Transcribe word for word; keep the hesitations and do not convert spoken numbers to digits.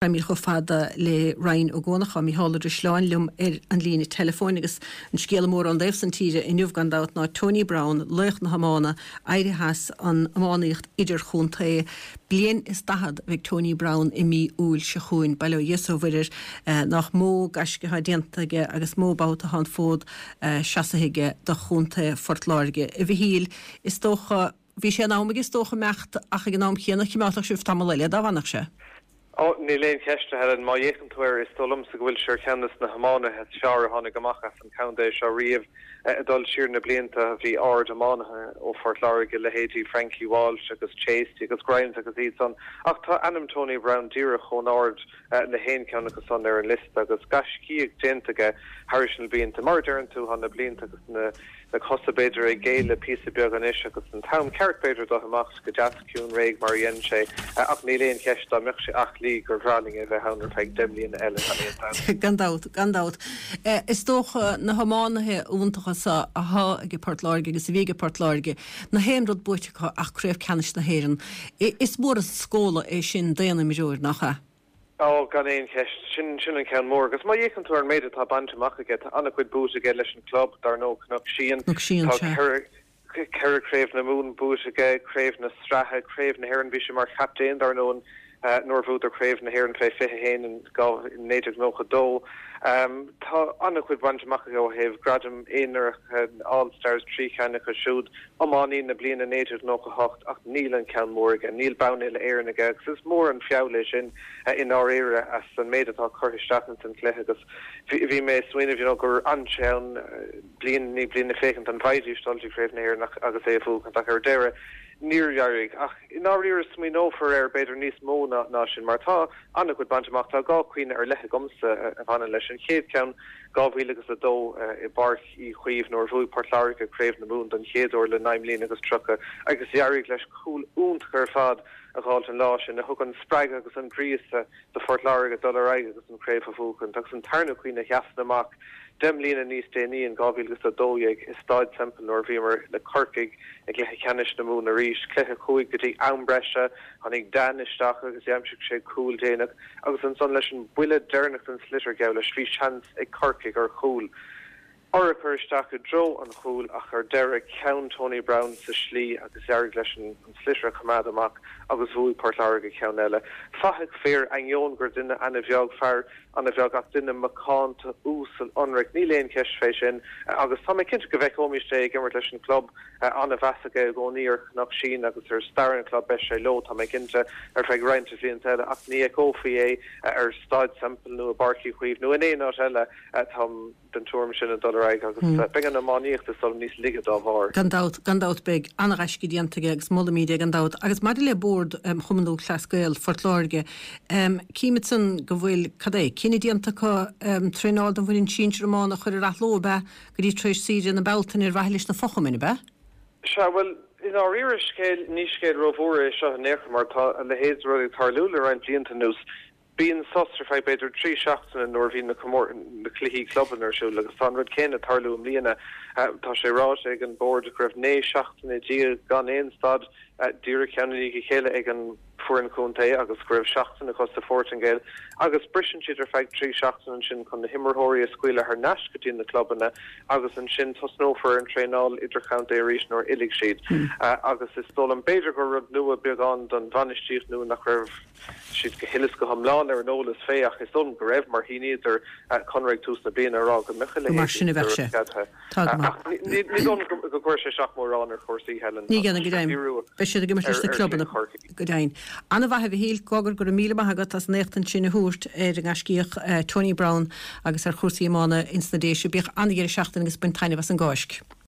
Táimid chomh fada le Ryan Ó Guanacháin, Mícheál Ó Drisleáin liom ar an líne teileafóin agus an scéal mór ón dtaobh san tíre inniu gan dabht ná Tony Browne, laoch na hiomána, éirithe as an iománaíocht idirchontae. Bliain is daichead a bheidh Tony Browne i mí Iúil seo chugainn. Bail ó Dhia is ó Mhuire air nach mó gaisce atá déanta aige agus mó babhta atá an fód seasaithe aige do chontae Phort Láirge. A Mhichíl, is dócha, bhí sé in am aige is dócha imeacht ach ag an am chéanna chimeálfadh sibh tamall eile dá bhfanfadh sé. Ó, níl aon cheist, a Helen. Má fhéachann tú air, is dóigh liomsa go bhfuil sé ar cheann de na hiománaithe is fearr a tháinig amach as an chontae seo riamh. Ag dul siar na blianta, bhí ard-iománaithe ó Phort Láirge, leithéidí Frankie Walsh agus Chasty agus Grimes agus iad san, ach tá ainm Tony Browne díreach chomh hard le haon cheann acu san ar an liosta agus gaiscíoch déanta aige thairis na blianta. Mar a deireann tú, tá na blianta agus na. na cosa b'fhéidir ag géilleadh píosa beag anois agus an t-am ceart b'fhéidir dó imeacht go deas ciúin réidh mar a dhein sé ach níl aon cheist dá mbeadh sé aclaí gur bhreá linn é bheith ann ar feadh deich mbliana eile gan aon dabht. Gan dabht, gan dabht. Is dócha na hiománaithe iontacha so athá ag Port Láirge agus a bhí ag Port Láirge, nach aon rud buaite acu ach Craobh Ceannais na hÉireann. Is mór an scóladh é sin d'aon imreoir, nach ea? Ó, gan aon cheist. Sin, sin an ceann mór. Agus má fhéachann tú ar an méid atá bainte amach aige, tá an-chuid buaite aige leis an gclub, dar ndóigh, Cnoc Síon. Cnoc Síon, Tá sea. ceithre, ceithre Craobh na Mumhan buaite aige, Craobh na Sraithe, Craobh na hÉireann. Bhí sé mar chaptaen, dar ndóigh, nuair a bhuadar Craobh na hÉireann fé fiche a haon in dhá, naoi déag nócha dó. Tá an-chuid bainte amach aige ó thaobh gradaim aonaracha, All Stars, trí cheann acu siúd, Iománaí na Bliana naoi déag nócha a hocht, ach níl an ceann mór aige, níl bonn uile-Éireann aige agus is mór an feall é sin i ndáiríre as an méid atá curtha isteach ins an chluiche agus bhí mé ag smaoineamh you know gur fhan sé ann bliain i ndiaidh bliana féachaint an bhfaighidís dul dtí Craobh na hÉireann ach agus é a bhuachaint ach ar deireadh níor éirigh. Ach i ndáiríre smaoineofar air b'fhéidir níos mó ná ná sin mar tá an-chuid bainte amach. Tá dhá chuimhne ar leith agamsa a bhaineann leis. An chéad cheann dhá mhíle agus a dó i bPáirc Uí Chaoimh nuair a bhuaigh Port Láirge Craobh na Mumhan don chéad uair le naoi mbliana agus tríocha agus d'éirigh leis cúl iontach ar fad a dh'fháilt an lá sin a thug an spreagadh agus an gríosadh do Phort Láirge dul ar aghaidh agus an chraobh a bhuachaint agus an tarna cuimhne a sheasann amach deich mbliana níos déanaí in dhá mhíle agus a dó dhéag i Stáid Semple nuair a bhíomar le Corcaigh i gcluiche ceannais na Mumhan arís, cluiche a chuaigh go dtí am breise, tháinig Dan isteach agus d'aimsigh sé cúl déanach agus ansan leis an buille deireanach den sliotar geall leis bhí seans ag Corcaigh ar chúl. Urchar isteach i dtreo an chúil ach ar deireadh, ceann Tony Browne sa slí agus d'éirigh leis an sliotar a choimeád amach agus bhuaigh Port Láirge ceann eile. Fathach fir, ainneoin gur duine ana-bheag, fear ana-bheag ach duine macánta, uasal, ionraic, níl aon cheist fé sin agus tá mé cinnte go bhfeiceoimist é ag imirt leis an gclub. Ana-mheas aige i gcónaí ar Chnoc Síon agus ar stair an chlub. Beidh sé leo, tá mé cinnte, ar feadh roinnt bhlianta eile ach ní fheiceofaí é ar Staid Semple nó i bPáirc Uí Chaoimh nó in aon áit eile. Táim. den tuairim sin ag dul ar aghaidh agus beidh an iománaíocht is dóigh liom níos laige dá bharr. Gan dabht, gan dabht beidh an-ghaisce déanta aige agus molaimid é gan dabht. Agus maidir le Bord Chumann Lúthchleas Gael Phort Láirge, címid san go bhfuil, cad é, cinneadh déanta acu traenáil don bhfoireann sinsir iomána a chur ar athló, ab ea, go dtí tar éis saoire na Bealtaine ar mhaithe leis na fochumainn, ab ea? Sea, bhuel, i ndáiríre scéal, ní scéal rómhór é seo in aon chor mar tá a leithéid de rud ag tarlú le roinnt blianta anuas. Bíonn sos ar feadh b'fhéidir trí seachtaine nuair a bhíonn na na cluichí clubanna ar siúl agus tá an rud céanna ag tarlú i mbliana. Tá sé ráite ag an Bord go raibh naoi seachtaine déag gan aon stad díreach ceann i ndiaidh a chéile ag an foireann chontae agus go raibh seachtain acu sa Phortaingéil agus briseann siad ar feadh trí seachtaine ansin chun na himreoirí a scaoileadh thar n-ais go dtí na clubanna agus ansin tosnófar ar an traenáil idirchontae arís nuair a fhillfidh siad. Agus is dóigh liom b'fhéidir gur rud nua beagán don bhainistíocht nua nach raibh siad go huile is go hiomlán ar an eolas fé ach is dóigh liom go raibh mar shíníodar conradh ag tús na bliana ag rá go mbeadh a Go mar leithéid sin a de bheadh rud sé. ceadaithe. Tá go Ach maith. ní ní dóigh liom go gcuirfidh sé isteach mórán ar chúrsaí, Helen. Ní Tá dhéanfaidh, go sé ag deimhin. díriú Beidh siad ag imirt ar leis na ar clubanna, chluiche Chorcaí. go deimhin. An-mhaith, a Mhichíl, Cogar, go raibh míle maith agat as an éachtaint sin a thabhairt ar an ngaiscíoch Tony Browne agus ar chúrsaí iomána ins na Déise. Bíodh an-dheireadh seachtaine agus bain taitneamh as an gCáisc.